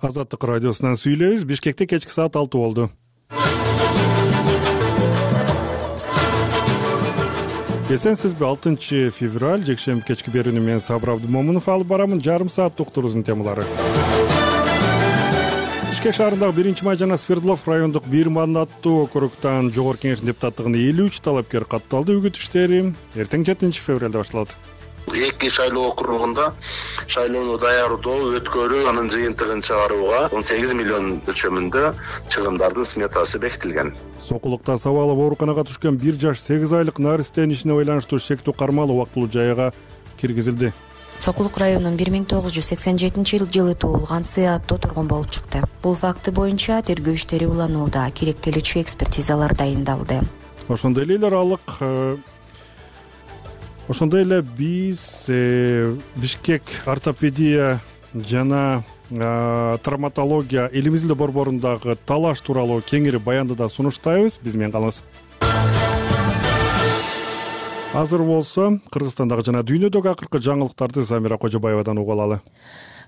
Азаттык радиосунан сүйлөйбүз. Бишкекте кечки саат 6 болду. Эсенсизби? 6 февраль жекшемби кечки берүүнү мен Сабыр Абдымомунов алып барамын. Жарым саат доктурубуздун темалары. Бишкек шаарындагы 1-май жана Свердлов райондук бир мандаттуу округтан жогорку кеңештин депутаттыгына 53 талапкер катталды. Үгүт иштери эртең 7 февралда башталат. Эки шайлоо округунда шайлоону даярдоо, өткөрүү, анын жыйынтыгын чыгарууга 18 миллион өлчөмүндө чыгымдардын сметасы бекитилген. Сокулукта сабалып ооруканага түшкөн 1 жаш 8 айлык наристенин ишине байланыштуу шектүү кармалуу убактылуу жайга киргизилди. Сокулук районунун 1987-жылы туулган Сыатто тургун болуп чыкты. Бул факты боюнча тергөө иштери уланууда, керектеличүү экспертизалар дайындалды. Ошондой эле биз Бишкек ортопедия жана травматология элимиздин борборундагы талаш тууралуу кеңири баянды да сунуштайбыз. Биз менен калыңыз. Азыр болсо Кыргызстандагы жана дүйнөдөгү акыркы жаңылыктарды Замира Кожобаевадан угуп алалы.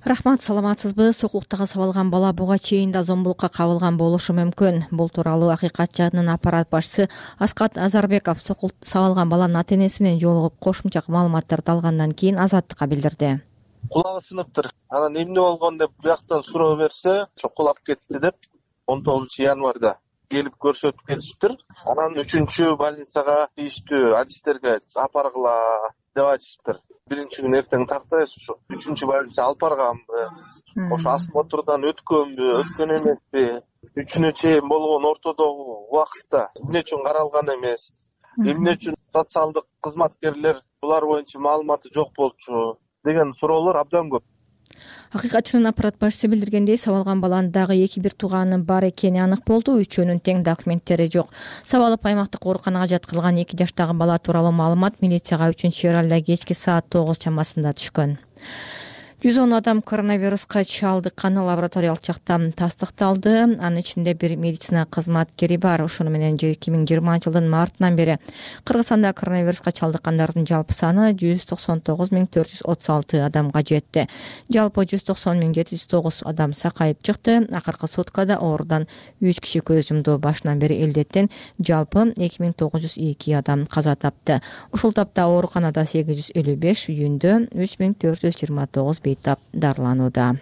Рахмат, саламатсызбы? Сокулуктагы сабалган бала буга чейин да зомбулукка кабылган болушу мүмкүн. Бул тууралуу Акыйкат жадынын аппарат башчысы Аскат Азарбеков сокулукта сабалган баланын ата-энеси менен жолугуп кошумча маалыматтарды алгандан кийин Азаттыкка билдирди. Кулагы сыныптыр. Анан эмне болгон деп бияктан суроо берсе, чокулап кетти деп 19 январда келип көрсөтүп кетиштир. Анан 3-чү больницага тийиштүү адистерге алып баргыла деп айтыштыр. Биринчи күн эртең тактайбыз, ушу 3-чү больница алып барганбы, ошо осмотрдан өткөнбү, өткөн эмеспи, 3-үнө чейин болгон ортодогу убакытта эмне үчүн каралган эмес, эмне үчүн социалдык кызматкерлер булар боюнча маалыматы жок болчу деген суроолор абдан көп. Акыйкатчынын аппарат башчысы билдиргендей, сабалган баланын дагы 2-1 тууганынын бар экени анык болду. Үчөөнүн тең документтери жок. Сабалып аймактык ооруканага жаткырылган 2 жаштагы бала тууралуу маалымат милицияга 3-февралда кечки саат 9 чамасында түшкөн. 110 адам коронавируска чалдыкканы лабораториялык жактан тастыкталды. Анын ичинде бир медицина кызматкери бар. Ошону менен 2020-жылдын мартынан бери Кыргызстанда коронавируска чалдыккандардын жалпы саны 199,436 адамга жетти. Жалпы 190,709 адам сакайып чыкты. Акыркы суткада оорудан 3 киши көз жумду. Башынан бери элдеттен жалпы 2902 адам каза тапты. Ушул тапта ооруканада 855, үйүндө 3429 бейтап дарыланууда.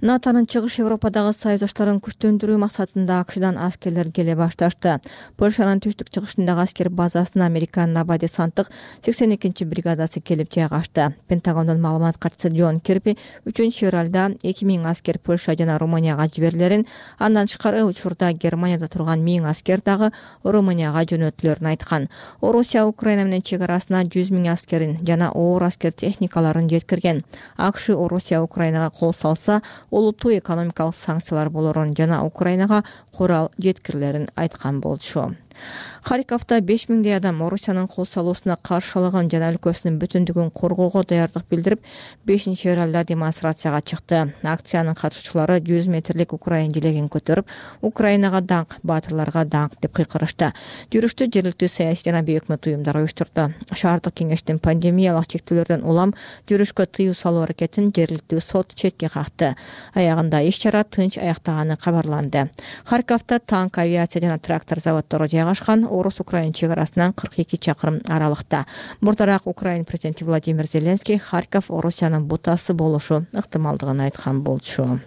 НАТОнун Чыгыш Европадагы союздаштарын күчтөндүрүү максатында АКШдан аскерлер келе башташты. Польшанын түштүк-чыгышындагы аскер базасына Американын аба десанттык 82-бригадасы келип жайгашты. Пентагондун маалымат катчысы Джон Кирби 3-февралда 2000 аскер Польша жана Румынияга жиберилерин, андан тышкары учурда Германияда турган 1000 аскер дагы Румынияга жөнөтүлөрүн айткан. Орусия Украина менен чек арасына 100 000 аскерин жана оор аскер техникаларын жеткирген. АКШ Орусия Украинага кол салса, олуттуу экономикалык санкциялар болорун жана Украинага курал жеткирилерин айткан болчу. Харьковда 5000 адам Орусиянын кол салуусуна каршылыгын жана өлкөсүнүн бүтүндүгүн коргоого даярдык билдирип, 5-февралда демонстрацияга чыкты. Акциянын катышуучулары 100 метрлик Украин желегин көтөрүп, Украинага даңк, баатырларга даңк деп кыйкырышты. Жүрүштү жергиликтүү саясий жана өкмөт уюмдары уюштурду. Шаардык кеңештин пандемиялык чектөөлөрдөн улам жүрүшкө тыюу салуу аракетин жергиликтүү сот четке какты. Аягында иш-чара тынч аяктаганы кабарланды. Харьковда танк, авиация жана трактор заводдору жайгашкан. Орус-Украин чек арасынан 42 чакырым аралыкта. Мурдараак Украин президенти Владимир Зеленский Харьков Орусиянын бутасы болушу ыктымалдыгын айткан болчу.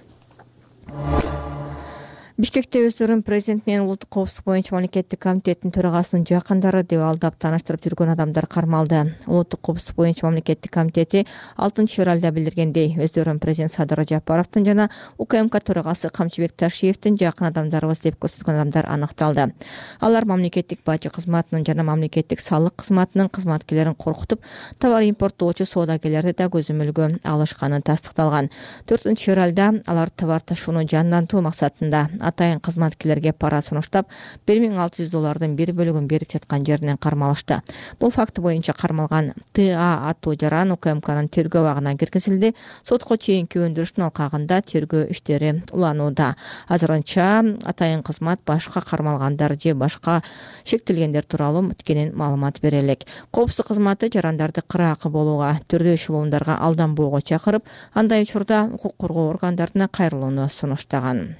Бишкекте өздөрүн президент менен улуттук коопсуздук боюнча мамлекеттик комитеттин төрагасынын жакындары деп алдап тааныштырып жүргөн адамдар кармалды. Улуттук коопсуздук боюнча мамлекеттик комитети 6-февралда билдиргендей, өздөрүн президент Садыр Жапаровдун жана УКМК төрагасы Камчыбек Ташиевдин жакын адамдарыбыз деп көрсөткөн адамдар аныкталды. Алар мамлекеттик бажы кызматынын жана мамлекеттик салык кызматынын кызматкерлерин коркутуп, товар импорттоочу соодагерлерди да көзөмөлгө алышканы тастыкталган. 4-февралда алар товар ташууну жандантуу максатында атайын кызматкерлерге пара сунуштап $1600 бир бөлүгүн берип жаткан жеринен кармалышты. Бул факты боюнча кармалган ТА аттуу жаран УКМКнын тергөө абагына киргизилди. Сотко чейинки өндүрүштүн алкагында тергөө иштери уланууда. Азырынча атайын кызмат башка кармалгандар же башка шектелгендер тууралуу кенен маалымат бере элек. Коопсуздук кызматы жарандарды кыраакы болууга, түрдүү шылуундарга алданбоого чакырып, андай учурда укук коргоо органдарына кайрылууну сунуштаган.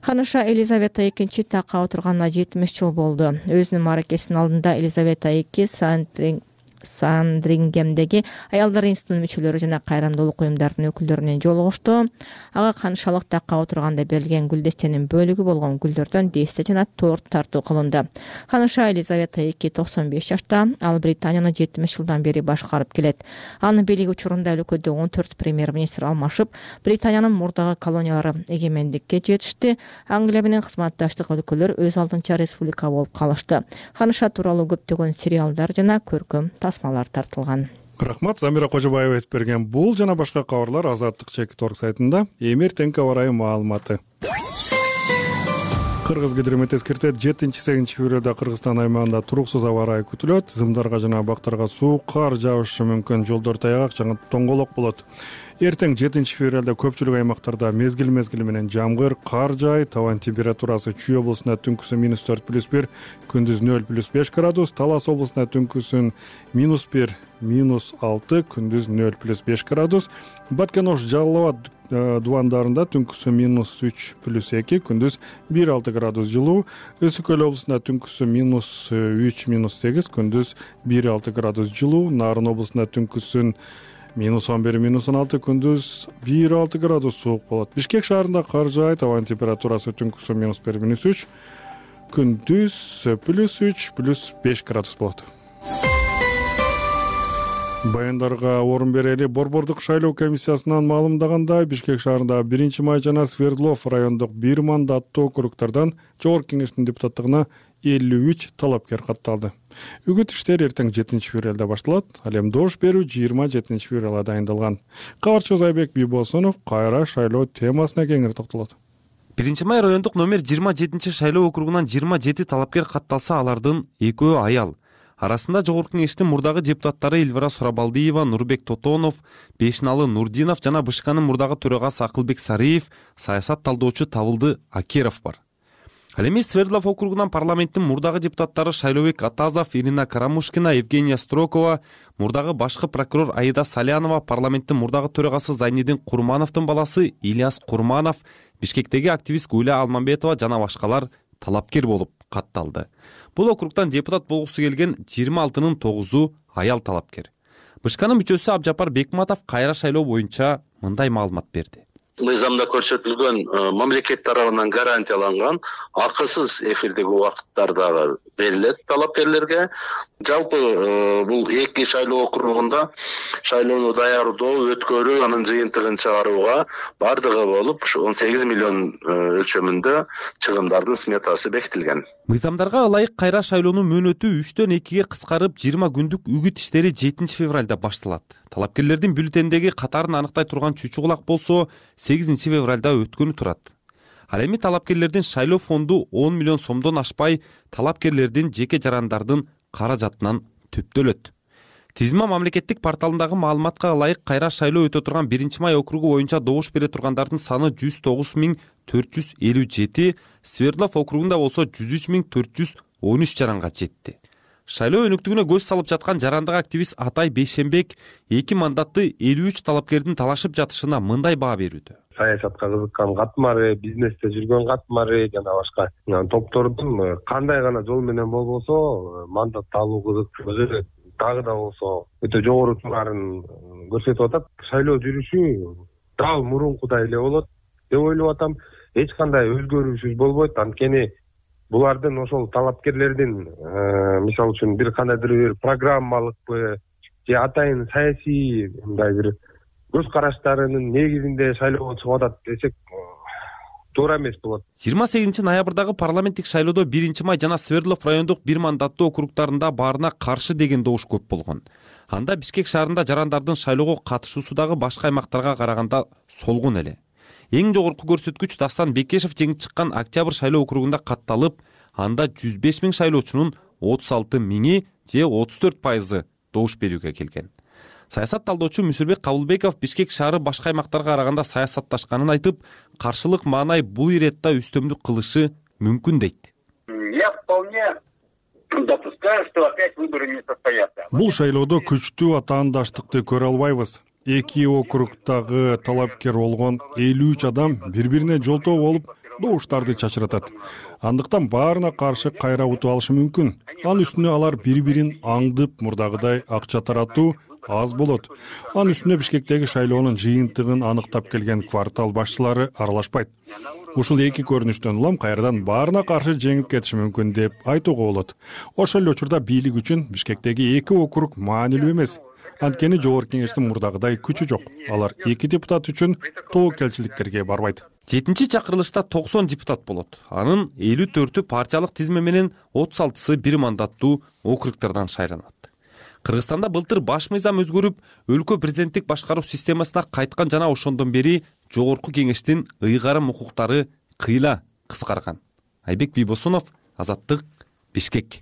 Ханыша Елизавета II такка отурганына 70 жыл болду. Өзүнүн мааракесинин алдында Елизавета II Сандрингемдеги аялдар институтунун мүчөлөрү жана кайрымдуулук уюмдарынын өкүлдөрүнөн жолугушту. Ага канышалык такка отурганда берилген гүлдестенин бөлүгү болгон гүлдөрдөн десте жана торт тартуу кылынды. Ханыша Елизавета II 95 жашта, ал Британияны 70 жылдан бери башкарып келет. Анын бийлиги учурунда өлкөдө 14 премьер-министр алмашып, Британиянын мурдагы колониялары эгемендикке жетишти. Англия менен кызматташтык өлкөлөр өз алдынча республика болуп калышты. Ханыша тууралуу көптөгөн сериалдар жана көркөм тасмалар тартылган. Рахмат, Замира Кожобаева айтып берген бул жана башка кабарлар Азаттык /Торг сайтында. Эмертеңки аба ырайы маалыматы. Кыргыз гидромет эскертет, 7-8 февралда Кыргызстан аймагында туруксуз аба ырайы күтүлөт. Зымдарга жана бактарга суу, кар жаышы мүмкүн, жолдор таягак жана тоңголок болот. Эртең 7 февралда көпчүлүк аймактарда мезгил менен жамгыр, кар жаайт. Табан температурасы Чүй облусунда түнкүсүн -4+1, күндүз 0+5 градус, Талас облусунда түнкүсүн -1, -6, күндүз 0+5 градус. Баткен Ош, Жалал Абад дубандарында түнкүсүн -3+2, күндүз 1-6 градус жылуу. Өсүк көл облусунда түнкүсүн -3, -8, күндүз 1-6 градус жылуу. Нарын облусунда түнкүсүн -11, -16, күндүз 1-6 градус суук болот. Бишкек шаарында кар жаайт, табан температурасы түнкүсүн -1, -3, күндүз +3, +5 градус болот. Баяндарга орун берели. Борбордук шайлоо комиссиясынан маалымдагандай, Бишкек шаарында 1-Май жана Свердлов райондук 1 мандаттуу округдардан Жогорку кеңештин депутаттыгына 53 талапкер катталды. Үгүт иштери эртең 7 февралда башталат. Ал эми добуш берүү 27 февралда дайындалган. Кабарчыбыз Айбек Бийбосунов кайра шайлоо темасына кеңири токтолот. 1-Май райондук номер 27 шайлоо округунан 27 талапкер катталса, алардын 2 аял. Арасында Жогорку кеңештин мурдагы депутаттары Эльвира Сурабалдиева, Нурбек Тотонов, Бешналы Нурдинов жана БШКнын мурдагы төрагасы Акылбек Сариев, саясат талдоочу Табылды Акеров бар. Ал эми Свердлов округунан парламенттин мурдагы депутаттары Шайлообек Атазов, Ирина Карамушкина, Евгения Строкова, мурдагы башкы прокурор Аида Салянова, парламенттин мурдагы төрагасы Зайнидин Курмановдун баласы Ильяс Курманов, Бишкектеги активист Гүлә Алмамбетова жана башкалар талапкер болуп катталды. Бул округтан депутат болгусу келген 26-нын 9-у аял талапкер. БШКнын мүчөсү Абжапар Бекматов кайра шайлоо боюнча мындай маалымат берди. Мыйзамда көрсөтүлгөн мамлекет тарабынан гарантияланган акысыз эфирдеги убакыттар дагы берилет талапкерлерге. Жалпы бул 2 шайлоо округунда шайлоону даярдоо, өткөрүү, анын жыйынтыгын чыгарууга бардыгы болуп 18 миллион өлчөмүндө чыгымдардын сметасы бекитилген. Мыйзамдарга ылайык кайра шайлоонун мөөнөтү 3-төн 2-ге кыскарып, 20 күндүк үгүт иштери 7 февралда башталат. Талапкерлердин бюллетендеги катарын аныктай турган чүчү кулак болсо 8 февралда өткөнү турат. Ал эми талапкерлердин шайлоо фонду 10 миллион сомдон ашпай, талапкерлердин жеке жарандардын каражатынан түптөлөт. Тизма мамлекеттик порталындагы маалыматка ылайык кайра шайлоо өтө турган 1-Май округу боюнча добуш бере тургандардын саны 109.457, Свердлов округунда болсо 103.413 жаранга жетти. Шайлоо өнүктүгүнө көз салып жаткан жарандык активист Атай Бейшенбек 2 мандатты 53 талапкердин талашып жатышына мындай баа берүүдө. Саясатка кызыккан катмары, бизнесте жүргөн катмары жана башка топтордун кандай гана жол менен болбосо мандат алуу кызык, дагы да болсо өтө жогору туурарын көрсөтүп атат. Шайлоо жүрүшү дал мурункудай эле болот деп ойлоп атам. Эч кандай өзгөрүүсүз болбойт. Анткени булардын ошол талапкерлердин мисалы үчүн бир кандайдыр бир программалыкпы же атайын саясий мындай бир көз караштарынын негизинде шайлоого чыгып атат десек туура эмес болот. 28 ноябрдагы парламенттик шайлоодо 1-Май жана Свердлов райондук 1 мандаттуу округтарында баарына каршы деген добуш көп болгон. Анда Бишкек шаарында жарандардын шайлоого катышуусу дагы башка аймактарга караганда солгун эле. Эң жогорку көрсөткүч Дастан Бекешев жеңип чыккан Октябрь шайлоо округунда катталып, анда 105 000 шайлоочунун 36 000 же 34% добуш берүүгө келген. Саясат талдоочу Мүсүрбек Кабылбеков Бишкек шаары башка аймактарга караганда саясатташканын айтып, каршылык маанай бул иретта үстөмдүк кылышы мүмкүн дейт. Я вполне допускаю, что опять выборы не состоятся. Бул шайлоодо күчтүү атаандаштыкты көрө албайбыз. Эки округдагы талапкер болгон 53 адам бири-бирине жолтоо болуп, добуштарды чачыратат. Андыктан баарына каршы кайра утуп алышы мүмкүн. Анын үстүнө алар бири-бирин аңдып, мурдагыдай акча таратуу аз болот. Анын үстүнө Бишкектеги шайлоонун жыйынтыгын аныктап келген квартал башчылары аралашпайт. Ушул эки көрүнүштөн улам кайрадан баарына каршы жеңип кетиши мүмкүн деп айтууга болот. Ошол эле учурда бийлик үчүн Бишкектеги эки округ маанилүү эмес. Анткени жогорку кеңештин мурдагыдай күчү жок. Алар эки депутат үчүн тобокелчиликтерге барбайт. 7-чи чакырылышта 90 депутат болот. Анын 54-ü партиялык тизме менен 36-сы бир мандаттуу округдардан шайланат. Кыргызстанда былтыр баш мыйзам өзгөрүп, өлкө президенттик башкаруу системасына кайткан жана ошондон бери жогорку кеңештин ыйгарым укуктары кыйла кыскарган. Айбек Бийбосунов, Азаттык, Бишкек.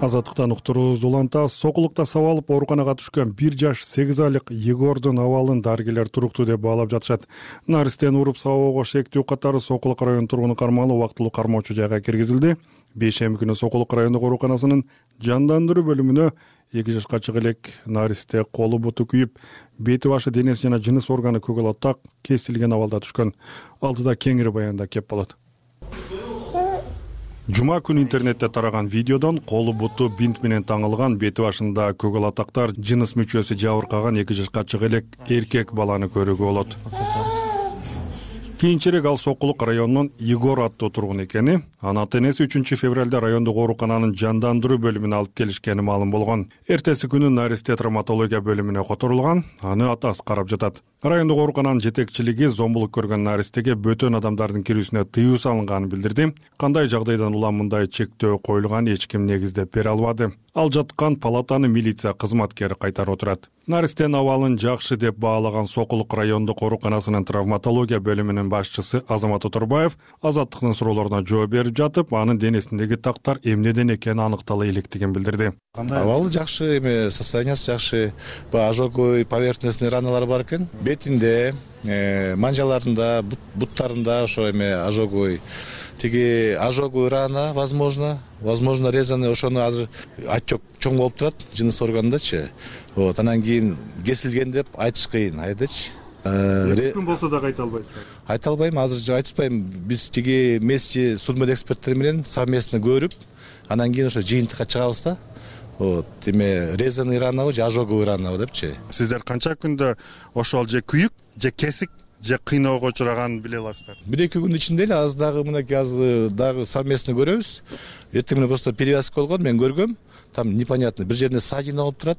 Азаттыктан уктуруубузду улантабыз. Сокулукта сабалып ооруканага түшкөн 1 жаш 8 айлык Егордун абалын дарыгерлер туруктуу деп баалап жатышат. Наристен уруп сабоого шектүү катары Сокулук район тургуну кармалуу убактылуу кармоочу жайга киргизилди. Бейшемби күнү Сокулук райондук ооруканасынын жандандыруу бөлүмүнө 2 жашка чыга элек Наристе колу буту күйүп, бети башы, денеси жана жыныс органы көгөлөт так кесилген абалда түшкөн. Алдыда кеңири баянда кеп болот. Жума күнү интернетте тараган видеодон колу буту бинт менен таңылган, бети башында көгөл атактар, жыныс мүчөсү жабыркаган 2 жашка чыга элек эркек баланы көрүүгө болот. Кийинчерээк ал Сокулук районунун Егор аттуу тургун экени, анын ата-энеси 3 февралда райондук оорукананын жандандыруу бөлүмүнө алып келишкени маалым болгон. Эртеси күнү Наристе травматология бөлүмүнө которулган, аны атасы карап жатат. Райондук оорукананын жетекчилиги зомбулук көргөн Наристеге бөтөн адамдардын кирүүсүнө тыюу салынганын билдирди. Кандай жагдайдан улам мындай чектөө коюлганын эч ким негиздеп бере албады. Ал жаткан палатаны милиция кызматкери кайтарып отурат. Наристен абалын жакшы деп баалаган Сокулук райондук ооруканасынын травматология бөлүмүнүн башчысы Азамат Оторбаев Азаттыктын суроолоруна жооп берип жатып, анын денесиндеги тактар эмнеден экени аныктала электигин билдирди. Абалы жакшы, состояниясы жакшы. Ожоговый поверхностный раналар бар экен. Бетинде, манжаларында, буттарында ошо ожоговый. Тиги ожоговый рана, возможно резаный, ошону азыр отек чоң болуп турат жыныс органындачы. Вот, анан кийин кесилген деп айтыш кыйын, айтачы. Күн болсо да айта албайсызбы? Айта албайм, азыр айтпайм. Биз тиги месте судмед эксперттер менен совместно көрүп, анан кийин ошо жыйынтыкка чыгабыз да. Вот, резаный ранабы же ожоговый ранабы депчи. Сиздер канча күндө ошол же күйүк, же кесик, же кыйноого учураганын биле аласыздар? 1-2 күн ичинде эле азыр дагы мынакей азыр дагы совместно көрөбүз. Эртең менен просто перевязка болгон, мен көргөм. Там непонятно, бир жеринде ссадина болуп турат,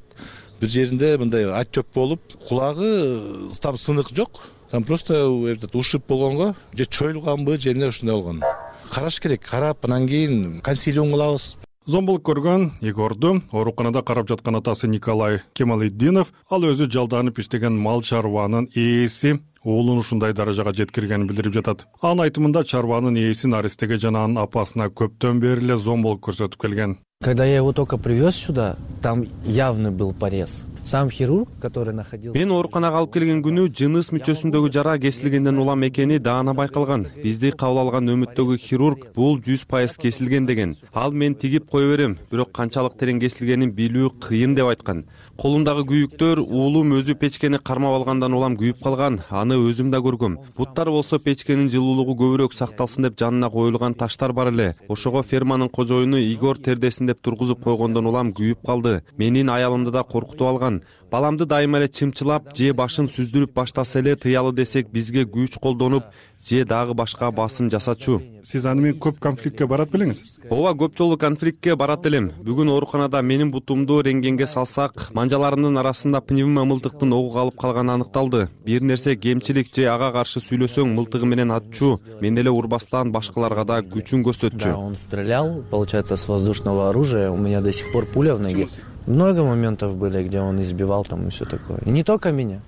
бир жеринде мындай отек болуп, кулагы там сынык жок. Там просто ушиб болгонго, же чоюлганбы, же эмне ушундай болгон. Караш керек, карап анан кийин консилиум кылабыз. Зомбулук көргөн Егорду ооруканада карап жаткан атасы Николай Кемалетдинов, ал өзү жалданып иштеген мал чарбанын ээси уулун ушундай даражага жеткиргенин билдирип жатат. Анын айтымында чарбанын ээси Наристеге жана анын апасына көптөн бери эле зомбулук көрсөтүп келген. Когда я его только привез сюда, там явно был порез. Сам хирург, который находился... Мен ооруканага алып келген күнү жыныс мүчөсүндөгү жара кесилгенден улам экени даана байкалган. Бизди кабыл алган нөмөттөгү хирург бул 100% кесилген деген. Ал мен тигип кое берем, бирок канчалык терең кесилгенин билүү кыйын деп айткан. Колундагы күйүктөр уулум өзү печкени кармап алгандан улам күйүп калган. Аны өзүм да көргөм. Буттар болсо печкенин жылуулугу көбүрөөк сакталсын деп жанына коюлган таштар бар эле. Ошого ферманын кожоюну Игор тердесин деп тургузуп койгондон улам күйүп калды. Менин аялымды да коркутуп алган. Баламды дайыма эле чымчылап, же башын сүздүрүп баштаса эле тыялы десек бизге күч колдонуп, же дагы башка басым жасачу. Сиз аны менен көп конфликтке барат белеңиз? Ооба, көп жолу конфликтке барат элем. Бүгүн ооруканада менин бутумду рентгенге салсак, манжаларымдын арасында пневмо мылтыктын огу калып калганы аныкталды. Бир нерсе кемчилик же ага каршы сүйлөсөң мылтыгы менен атчу, мен эле урбастан башкаларга да күчүн көрсөтчү. Да, он стрелял, получается, с воздушного оружия. У меня до сих пор пуля в ноге. Много моментов были, где он избивал там и все такое. И не только меня.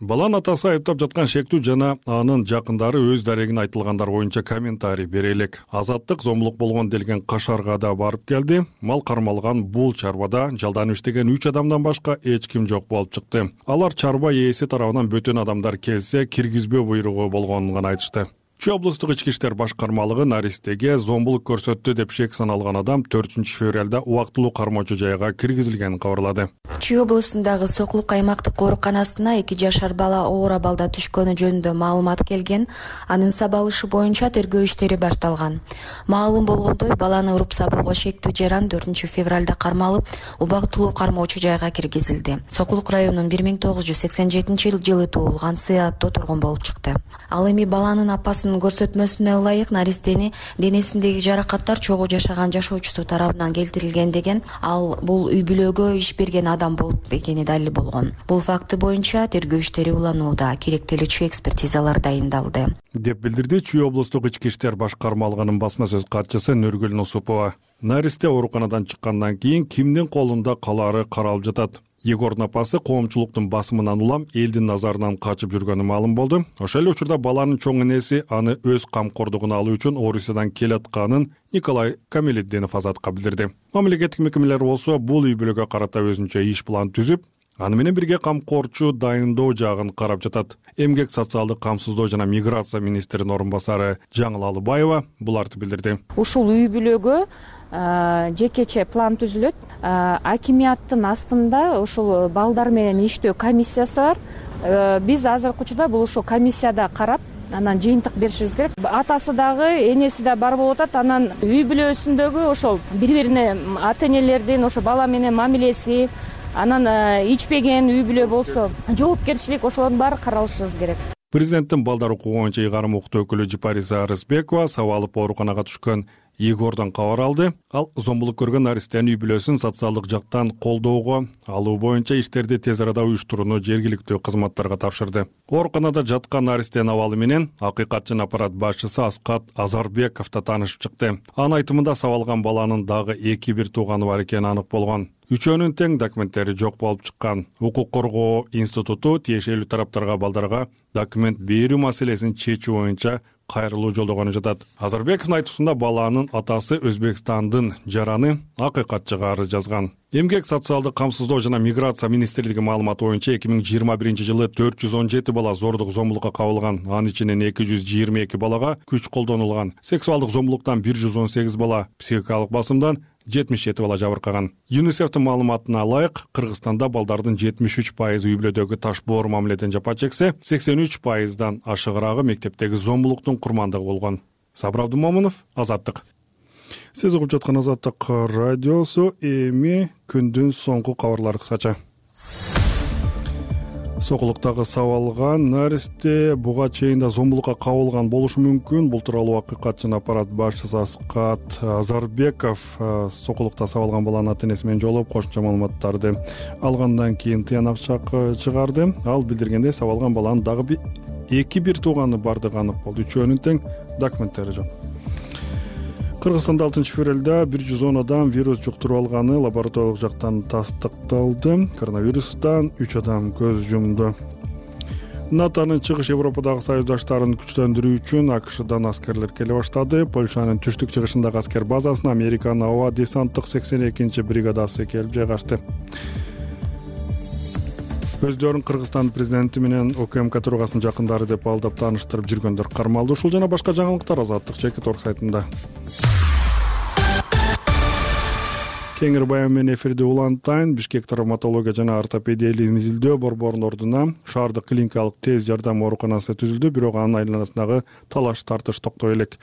Баланын атасы айыптап жаткан шектүү жана анын жакындары өз дарегин айтылгандар боюнча комментарий бере элек. Азаттык зомбулук болгон делген Кашарга да барып келди. Мал кармалган бул чарбада жалданып иштеген 3 адамдан башка эч ким жок болуп чыкты. Алар чарба ээси тарабынан бөтөн адамдар келсе киргизбөө буйругу болгонун гана айтышты. Чүй облустук ички иштер башкармалыгы Наристеге зомбулук көрсөттү деп шек саналган адам 4-февралда убактылуу кармоочу жайга киргизилгенин кабарлады. Чүй облусундагы Сокулук аймактык ооруканасына 2 жашар бала оор абалда түшкөнү жөнүндө маалымат келген. Анын сабалышы боюнча тергөө иштери башталган. Маалым болгондой, баланы уруп сабоого шектүү жаран 4-февралда кармалып, убактылуу кармоочу жайга киргизилди. Сокулук районунун 1987-жылы туулган Сыатто тургун болуп чыкты. Ал эми баланын апасынын көрсөтмөсүнө ылайык Наристени денесиндеги жаракаттар чогуу жашаган жашоочусу тарабынан келтирилген деген. Ал бул үй бүлөгө иш берген адам болуп экени далил болгон. Бул факты боюнча тергөө иштери уланууда, керектелүүчү экспертизалар дайындалды, деп билдирди Чүй облустук ички иштер башкармалыгынын басма сөз катчысы Нургүл Нусупова. Наристе ооруканадан чыккандан кийин кимдин колунда калаары каралып жатат. Егордун апасы коомчулуктун басымынан улам элдин назарынан качып жүргөнү маалым болду. Ошол эле учурда баланын чоң энеси аны өз камкордугуна алуу үчүн Орусиядан келатканын Николай Камелетдинов Азатка билдирди. Мамлекеттик мекемелер болсо бул үй бүлөгө карата өзүнчө иш план түзүп, аны менен бирге камкорчу дайындоо жагын карап жатат. Эмгек социалдык камсыздоо жана миграция министринин орун басары Жаңыл Алыбаева буларды билдирди. Ушул үй бүлөгө жекече план түзүлөт. Акимияттын астында ушул балдар менен иштөө комиссиясы бар. Биз азыркы учурда бул ушул комиссияда карап, анан жыйынтык беришибиз керек. Атасы дагы, энеси да бар болуп атат. Анан үй бүлөсүндөгү ошол бири-бирине ата-энелердин ошо бала менен мамилеси, анан ичпеген үй бүлө болсо жоопкерчилик, ошолордун баары каралышыбыз керек. Президенттин балдар укугу боюнча ыйгарым укуктуу өкүлү Жипариса Арызбекова сабалып ооруканага түшкөн Егордон кабар алды. Ал зомбулук көргөн Наристенин үй бүлөсүн социалдык жактан колдоого алуу боюнча иштерди тез арада уюштурууну жергиликтүү кызматтарга тапшырды. Ооруканада жаткан Наристенин абалы менен акыйкатчын аппарат башчысы Аскат Азарбеков да таанышып чыкты. Анын айтымында сабалган баланын дагы 2 тууганы бар экени анык болгон. Үчөөнүн тең документтери жок болуп чыккан. Укук коргоо институту тиешелүү тараптарга балдарга документ берүү маселесин чечүү боюнча кайрылуу жолдогону жатат. Азарбековдун айтуусунда баланын атасы Өзбекстандын жараны акыйкатчыга арыз жазган. Эмгек социалдык камсыздоо жана миграция министрлиги маалыматы боюнча 2021-жылы 417 бала зордук зомбулукка кабылган. Анын ичинен 222 балага күч колдонулган. Сексуалдык зомбулуктан 118 бала, психикалык басымдан 77 бала жабыркаган. ЮНИСЕФтин маалыматына ылайык, Кыргызстанда балдардын 73% үй бүлөдөгү таш боор мамиледен жапа чексе, 83%дан ашыгыраагы мектептеги зомбулуктун курмандыгы болгон. Сабыр Абдымомунов, Азаттык. Сиз угуп жаткан Азаттык радиосу. Эми күндүн соңку кабарлары кысача. Сокулуктагы сабалган Наристе буга чейин да зомбулукка кабылган болушу мүмкүн. Бул тууралуу акыйкатчын аппарат башчысы Аскат Азарбеков Сокулукта сабалган баланын ата-энеси менен жолугуп кошумча маалыматтарды алгандан кийин тыянак чыгарды. Ал билдиргендей, сабалган баланын дагы 2 тууганы бардыгы анык болду. Үчөөнүн тең документтери жок. Кыргызстанда 6-февралда 110 адам вирус жуктуруп алганы лабораториялык жактан тастыкталды. Коронавирустан 3 адам көз жумду. НАТОнун чыгыш Европадагы союздаштарын күчтөндүрүү үчүн АКШдан аскерлер келе баштады. Польшанын түштүк-чыгышындагы аскер базасына Американын аба десанттык 82-бригадасы келип жайгашты. Өздөрүн Кыргызстан президенти менен ОКМК төрагасынын жакындары деп алдап тааныштырып жүргөндөр кармалды. Ушул жана башка жаңылыктар Азаттык Чекит.орг сайтында. Кеңири баян менен эфирде улантайын. Бишкек травматология жана ортопедия илим изилдөө борборунун ордуна шаардык клиникалык тез жардам ооруканасы түзүлдү, бирок анын айланасындагы талаш тартыш токтой элек.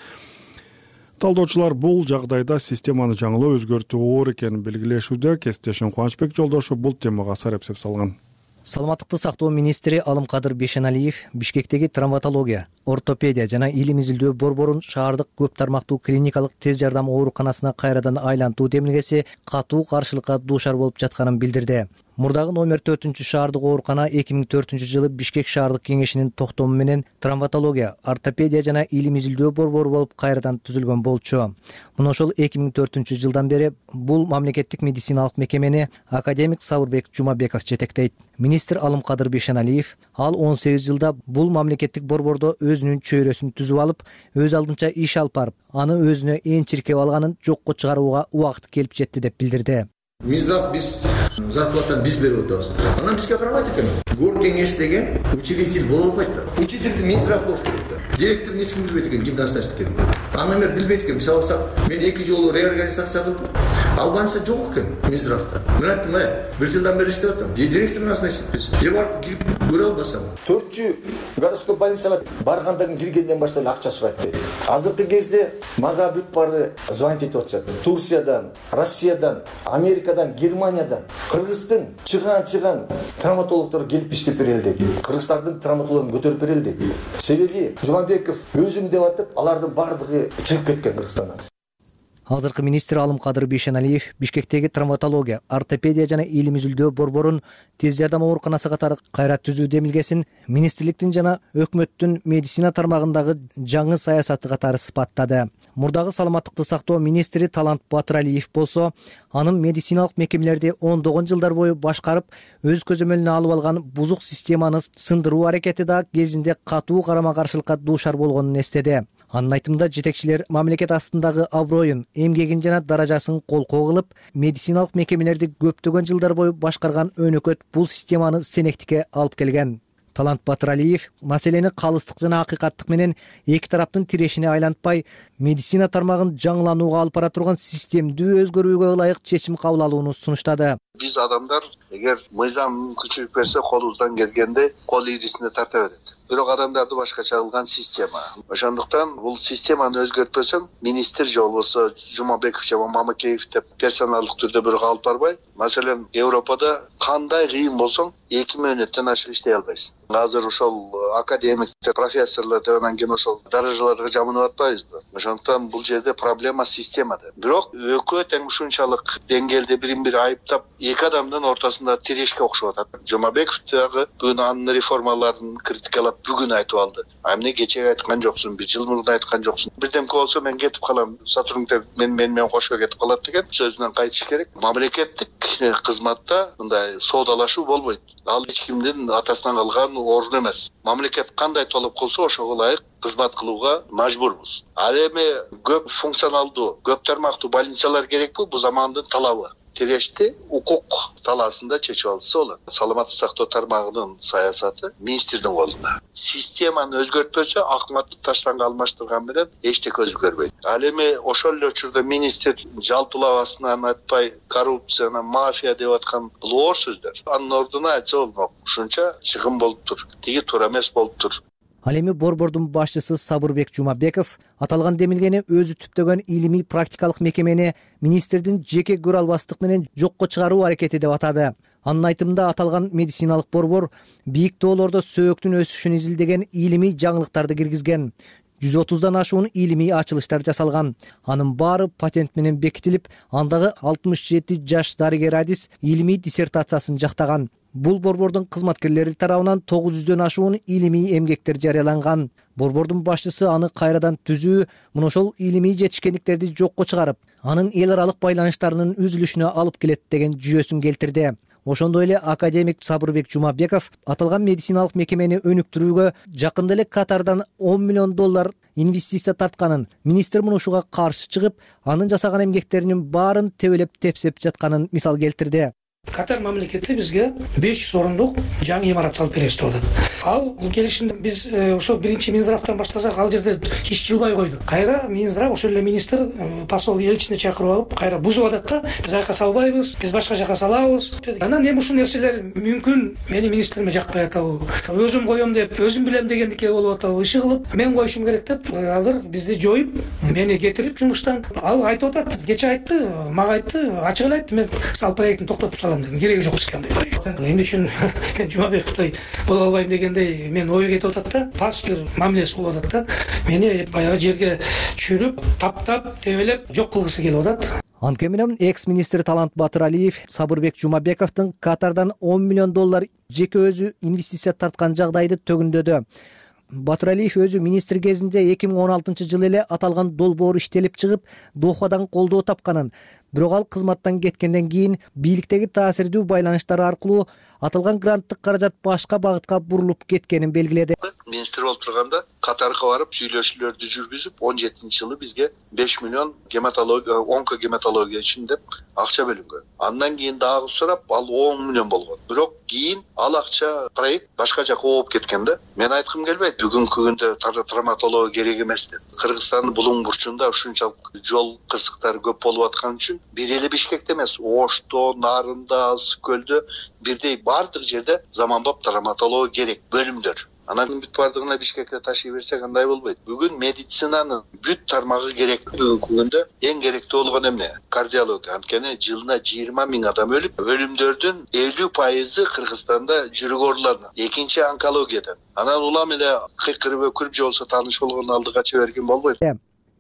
Талдоочулар бул жагдайда системаны жаңылоо өзгөртүү оор экенин белгилешүүдө. Кесиптешим Кубанычбек Жолдошов бул темага сарапсеп салган. Саламаттыкты сактоо министри Алымкадыр Бешеналиев Бишкектеги травматология, ортопедия жана илим изилдөө борборун шаардык көп тармактуу клиникалык тез жардам ооруканасына кайрадан айлантуу демилгеси катуу каршылыкка дуушар болуп жатканын билдирди. Мурдагы номер 4 шаардык оорукана 2004-жылы Бишкек шаардык кеңешинин токтому менен травматология, ортопедия жана илим изилдөө борбору болуп кайрадан түзүлгөн болчу. Мына ошол 2004-жылдан бери бул мамлекеттик медициналык мекемени академик Сабырбек Жумабеков жетектейт. Министр Алымкадыр Бешеналиев ал 18 жылда бул мамлекеттик борбордо өзүнүн чөйрөсүн түзүп алып, өз алдынча иш алып барып, аны өзүнө эң чиркеп алганын жокко чыгарууга убакыт келип жетти деп билдирди. Минздрав биз зарплатаны биз берип атабыз. Анан бизге карабайт экен. Гор кеңеш деген учредитель боло албайт да. Учредитель Минздрав болуш керек да. Директорун эч ким билбейт экен, ким назначить экенин. Андан бери билбейт экен. Мисалы алсак, мен 2 жолу реорганизация кылдым. Албанча жок экен Минздравда. Мен айттым, бир жылдан бери иштеп атам. Директор назначить этпес. Же барып кирип көрө албасам. 4-чү городской больницага баргандан киргенден баштап акча сурайт дейт. Азыркы кезде мага бүт бары звонить этип атышат. Турциядан, Россиядан, Америкадан, Германиядан, Кыргыздын чыган травматологдор келип иштеп берели дейт. Кыргыздардын травматологдорун көтөрүп берели дейт. Себеби Жумабеков өзүм деп атып, алардын бардыгы чыгып кеткен Кыргызстандан. Азыркы министр Алымкадыр Бешеналиев Бишкектеги травматология, ортопедия жана илим изилдөө борборун тез жардам ооруканасы катары кайра түзүү демилгесин министрликтин жана өкмөттүн медицина тармагындагы жаңы саясаты катары сыпаттады. Мурдагы саламаттыкты сактоо министри Талант Батыралиев болсо, анын медициналык мекемелерди ондогон жылдар бою башкарып, өз көзөмөлүнө алып алган бузук системаны сындыруу аракети да кезинде катуу карама-каршылыкка дуушар болгонун эстеди. Анын айтымында жетекчилер мамлекет астындагы аброюн, эмгегин жана даражасын колкоо кылып, медициналык мекемелерди көптөгөн жылдар бою башкарган өнөкөт бул системаны сенектикке алып келген. Талант Батыралиев маселени калыстык жана акыйкаттык менен эки тараптын тирешине айлантпай, медицина тармагын жаңыланууга алып бара турган системдүү өзгөрүүгө ылайык чечим кабыл алууну сунуштады. Биз адамдар эгер мыйзам күчүнүп берсе, колубуздан келгенде кол ийрисине тарта берет. Бирок адамдарды башкача кылган система. Ошондуктан бул системаны өзгөртпөсөң, министр же болбосо Жумабеков же Мамакеев деп персоналдык түрдө бирок алып барбай, маселен, Европада кандай кыйын болсоң, 2 мүнөттөн ашык иштей албайсың. Азыр ошол академиктер, профессорлор деп анан кийин ошол даражаларга жамынып атпайбызбы? Ошондуктан бул жерде проблема системада. Бирок экөө тең ушунчалык деңгээлде бирин-бири айыптап, эки адамдын ортосунда тирешке окшоп атат. Жумабеков дагы бүгүн анын реформаларын критикалап бүгүн айтып алды. Эмне кечеге айткан жоксуң, 1 жыл мурда айткан жоксуң. Бирдемке болсо мен кетип калам, сотрудниктер менен кошо кетип калат деген сөзүнөн кайтыш керек. Мамлекеттик кызматта мындай соодалашуу болбойт. Ал эч кимдин атасынан калган орун эмес. Мамлекет кандай талап кылса, ошого ылайык кызмат кылууга мажбурбуз. Ал эми көп функционалдуу, көп тармактуу больницалар керекпи? Бул замандын талабы. Тирешти укук талаасында чечип алса болот. Саламаттык сактоо тармагынын саясаты министрдин колунда. Системаны өзгөртпөсө, акматты таштанга алмаштырган менен эчтеке өзгөрбөйт. Ал эми ошол эле учурда министр жалпылабасынан айтпай, коррупцияны, мафия деп аткан бул оор сөздөр. Анын ордуна айтса болмок. Ушунча чыгым болуп тур. Тиги туура эмес болуп тур. Ал эми борбордун башчысы Сабырбек Жумабеков аталган демилгени өзү түптөгөн илимий практикалык мекемени министрдин жеке көрө албастык менен жокко чыгаруу аракети деп атады. Анын айтымында аталган медициналык борбор бийик тоолордо сөөктүн өсүшүн изилдеген илимий жаңылыктарды киргизген. 130дан ашуун илимий ачылыштар жасалган. Анын баары патент менен бекитилип, андагы 67 жаш дарыгер адис илимий диссертациясын жактаган. Бул борбордун кызматкерлери тарабынан 900дөн ашуун илимий эмгектер жарыяланган. Борбордун башчысы аны кайрадан түзүү, мына ошол илимий жетишкендиктерди жокко чыгарып, анын эл аралык байланыштарынын үзүлүшүнө алып келет деген жүйөсүн келтирди. Ошондой эле академик Сабырбек Жумабеков аталган медициналык мекемени өнүктүрүүгө жакында эле Катардан $10 миллион инвестиция тартканын, министр муну ушуга каршы чыгып, анын жасаган эмгектеринин баарын тебелеп тепсеп жатканын мисал келтирди. Катар мамлекети бизге 500 орундук жаңы имарат салып беребиз деп атат. Ал келишимди биз ошо биринчи Минздравдан баштасак, ал жерде иш жылбай койду. Кайра Минздрав ошол эле министр посол элчини чакырып алып, кайра бузуп атат да, биз айка салбайбыз, биз башка жака салабыз. Анан эми ушул нерселер мүмкүн мени министриме жакпай атабы, өзүм коем деп, өзүм билем дегендикке болуп атабы, иши кылып, мен коюшум керек деп, азыр бизди жоюп, мени кетирип жумуштан. Ал айтып атат, кече айтты, мага айтты, ачык эле айтты, мен ал проектин токтотуп салам дедим, кереги жок бизге андай. Эмне үчүн Жумабековдой боло албайм дегендей мен ой кетип атат да, тас бир мамилеси болуп атат да. Мени баягы жерге чүрүп, таптап, тебелеп жок кылгысы келип атат. Анткени менен экс-министр Талант Батыралиев Сабырбек Жумабековдун Катардан $10 миллион жеке өзү инвестиция тарткан жагдайды төгүндөдү. Батыралиев өзү министр кезинде 2016 жылы эле аталган долбоор иштелип чыгып, Дохадан колдоо тапканын, бирок ал кызматтан кеткенден кийин бийликтеги таасирдүү байланыштары аркылуу аталган гранттык каражат башка багытка бурулуп кеткенин белгиледи. Министр болуп турганда Катарга барып сүйлөшүүлөрдү жүргүзүп, 17-жылы бизге 5 миллион гематология, онкогематология үчүн деп акча бөлүнгөн. Андан кийин дагы сурап, ал 10 миллион болгон. Бирок кийин ал акча проект башка жака ооп кеткен да. Мен айткым келбейт, бүгүнкү күндө травматология керек эмес деп. Кыргызстандын булуң бурчунда ушунчалык жол кырсыктары көп болуп аткан үчүн бир эле Бишкекте эмес, Ошто, Нарында, Ысык көлдө бирдей бардык жерде заманбап травматология керек бөлүмдөр. Анан бүт бардыгына Бишкекке ташый берсек андай болбойт. Бүгүн медицинанын бүт тармагы керек. Бүгүнкү күндө эң керектүү болгон эмне? Кардиология. Анткени жылына 20 000 адам өлүп, өлүмдөрдүн 50% Кыргызстанда жүрөк ооруларынан, экинчи онкологиядан. Анан улам эле кыйкырып өкүрүп же болбосо тааныш болгон алдыга чыга берген болбойт.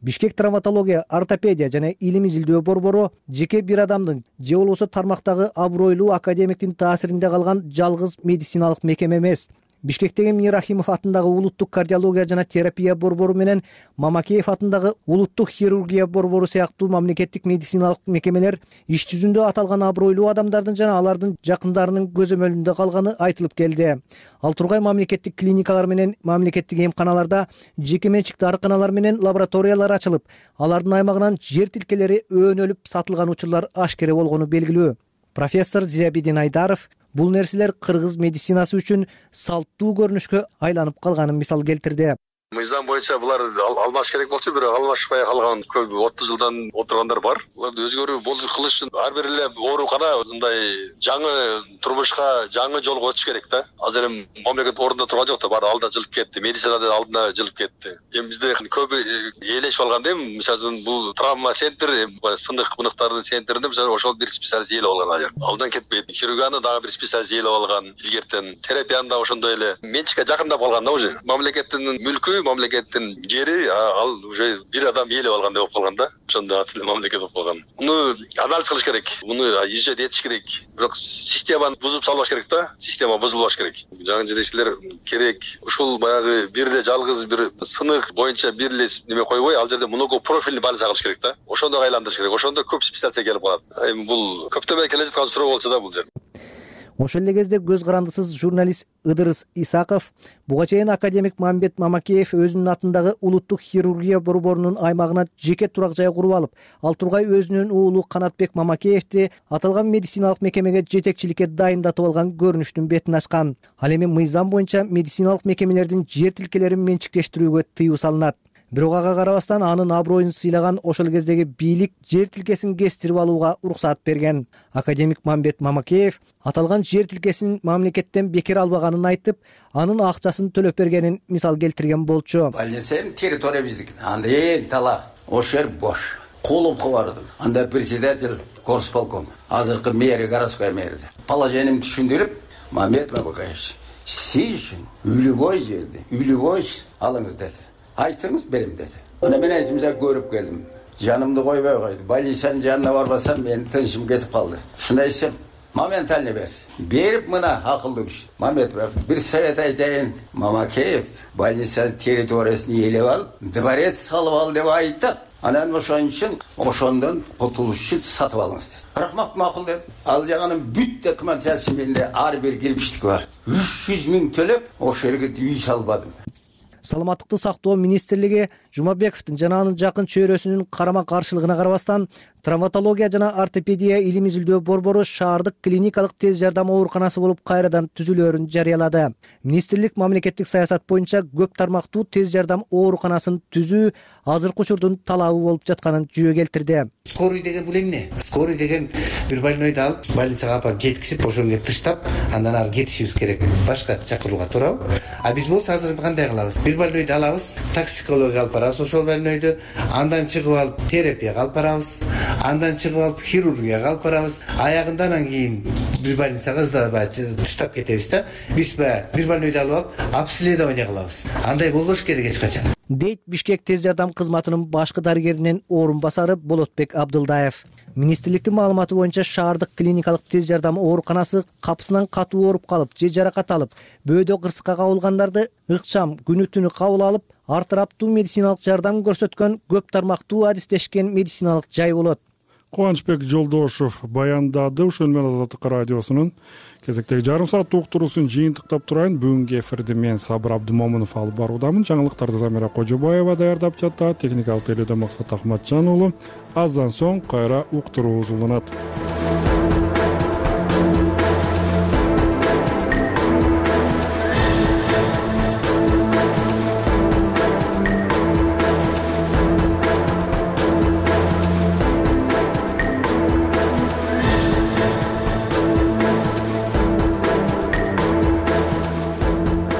Бишкек травматология, ортопедия жана илим изилдөө борбору жеке бир адамдын же болбосо тармактагы абройлуу академиктин таасиринде калган жалгыз медициналык мекеме эмес. Бишкектеги Мир Рахимов атындагы улуттук кардиология жана терапия борбору менен Мамакеев атындагы улуттук хирургия борбору сыяктуу мамлекеттик медициналык мекемелер иш жүзүндө аталган абройлуу адамдардын жана алардын жакындарынын көзөмөлүндө калганы айтылып келди. Ал тургай мамлекеттик клиникалар менен мамлекеттик эмканаларда жеке менчик дарыканалар менен лабораториялар ачылып, алардын аймагынан жер тилкелери өөнөлүп сатылган учурлар ашкере болгону белгилүү. Профессор Зиябидин Айдаров бул нерселер кыргыз медицинасы үчүн салттуу көрүнүшкө айланып калганын мисал келтирди. Мыйзам боюнча булар алмаш керек болчу, бирок алмашпай калган көп 30 жылдан отургандар бар. Буларды өзгөрүү кылыш үчүн ар бир эле оорукана мындай жаңы турмушка, жаңы жолго өтүш керек да. Азыр эми мамлекет ордунда турган жок да, баары алдына жылып кетти. Медицинада алдына жылып кетти. Эми бизде көп ээлешип алган да, мисалы бул травма центр, сындык мынктардын центринде мисалы ошол бир специалист ээлеп алган азыр. Алдынан кетпейт. Хирургияны дагы бир специалист ээлеп алган. Илгертен терапияны да ошондой эле менчикке жакындап калган да уже. Мамлекеттин мүлкү, мамлекеттин жери ал уже бир адам ээлеп алгандай болуп калган да. Ошондой атылы мамлекет болуп калган. Муну анализ кылыш керек. Муну изжет этиш керек. Бирок системаны бузуп салбаш керек да. Система бузулбаш керек. Жаңы жетекчилер керек. Ушул баягы бир эле жалгыз бир сынык боюнча бир эле неме койбой, ал жерде много профильный больница кылыш керек да. Ошондо айландырыш керек. Ошондо көп специалист келип калат. Эми бул көптөн бери келе жаткан суроо болчу да бул жер. Ошол эле кезде көз карандысыз журналист Ыдырыс Исаков буга чейин академик Мамбет Мамакеев өзүнүн атындагы улуттук хирургия борборунун аймагына жеке турак жай куруп алып, ал тургай өзүнүн уулу Канатбек Мамакеевди аталган медициналык мекемеге жетекчиликке дайындатып алган көрүнүштүн бетин ачкан. Ал эми мыйзам боюнча медициналык мекемелердин жер тилкелерин менчиктештирүүгө тыюу салынат. Бирок ага карабастан анын аброюн сыйлаган ошол кездеги бийлик жер тилкесин кестирип алууга уруксат берген. Академик Мамбет Мамакеев аталган жер тилкесин мамлекеттен бекер албаганын айтып, анын акчасын төлөп бергенин мисал келтирген болчу. Больницанын территория биздики. Анда тала, ошол жер бош. Колумка бардым. Анда председатель горсполком, азыркы мэр, городской мэр. Положением түшүндүрүп, Мамбет Мамакеевич, сиз үчүн үлүбой жерди, үлүбой алыңыз деди. Айтыңыз берем деди. Ана мен айтымда көрүп келдим. Жанымды койбой койду. Больницанын жанына барбасам мен тынчым кетип калды. Шуну айтсам, моментально берди. Берип мына акылдуу киши. Мамбет бир совет айтайын. Мамакеев больницанын территориясын ээлеп алып, дворец салып ал деп айтты. Анан ошон үчүн ошондон кутулуш үчүн сатып алыңыз деди. Рахмат, макул деди. Ал жагынын бүт документациясы менде ар бир кирпичтик бар. 300 000 төлөп ошол жерге үй салбадым. Саламаттыкты сактоо министрлиги Жумабековдун жана анын жакын чөйрөсүнүн карама каршылыгына карабастан травматология жана ортопедия илим изилдөө борбору шаардык клиникалык тез жардам ооруканасы болуп кайрадан түзүлөөрүн жарыялады. Министрлик мамлекеттик саясат боюнча көп тармактуу тез жардам ооруканасын түзүү азыркы учурдун талабы болуп жатканын жүйө келтирди. Скорый деген бул эмне? Скорый деген бир больнойду алып, больницага апарып жеткизип, ошону тыштап, андан ары кетишибиз керек. Башка чакырууга туурабы? А биз болсо азыр кандай кылабыз? Бир больнойду алабыз, токсикология алып барабыз ошол больнойду, андан чыгып алып терапияга алып барабыз, андан чыгып алып хирургияга алып барабыз. Аягында анан кийин бир больницага тыштап кетебиз да. Биз бир больнойду алып обследование кылабыз. Андай болбош керек эч качан. дейт Бишкек тез жардам кызматынын башкы дарыгеринин орун басары Болотбек Абдылдаев. Министрликтин маалыматы боюнча шаардык клиникалык тез жардам ооруканасы капысынан катуу ооруп калып же жаракат алып, бөөдө кырсыкка кабылгандарды ыкчам күнү түнү кабыл алып, ар тараптуу медициналык жардам көрсөткөн көп тармактуу адистешкен медициналык жай болот. Кубанычбек Жолдошов баяндады. Ушул менен Азаттык радиосунун кезектеги жарым сааттык уктуруусун жыйынтыктап турайын. Бүгүнкү эфирди мен Сабыр Абдымомунов алып баруудамын. Жаңылыктарды Замира Кожобаева даярдап жатат. Техникалык тейлөөдө Максат Ахматжан уулу. Аздан соң кайра уктуруубуз уланат.